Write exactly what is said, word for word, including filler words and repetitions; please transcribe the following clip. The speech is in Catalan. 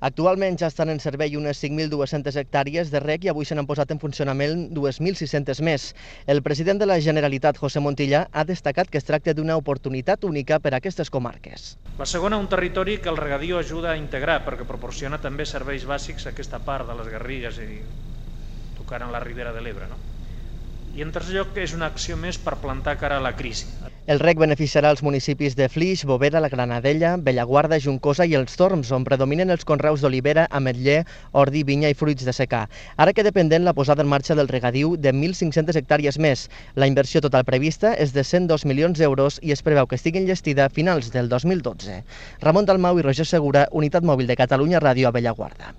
Actualment ja estan en servei unes cinc mil dues-centes hectàrees de reg i avui se n'han posat en funcionament dos mil sis-centes més. El president de la Generalitat, José Montilla, ha destacat que es tracta d'una oportunitat única per a aquestes comarques. La segona, un territori que el regadiu ajuda a integrar perquè proporciona també serveis bàsics a aquesta part de les Garrigues i tocant en la Ribera de l'Ebre. No? I en tercer lloc, és una acció més per plantar cara a la crisi. El reg beneficiarà els municipis de Flix, Bovera, la Granadella, Bellaguarda, Juncosa i els Torms, on predominen els conreus d'olivera, ametller, ordi, vinya i fruits de secà. Ara queda pendent la posada en marxa del regadiu de mil cinc-centes hectàrees més. La inversió total prevista és de cent dos milions d'euros i es preveu que estigui enllestida a finals del dos mil dotze. Ramon Dalmau i Roger Segura, Unitat Mòbil de Catalunya Ràdio a Bellaguarda.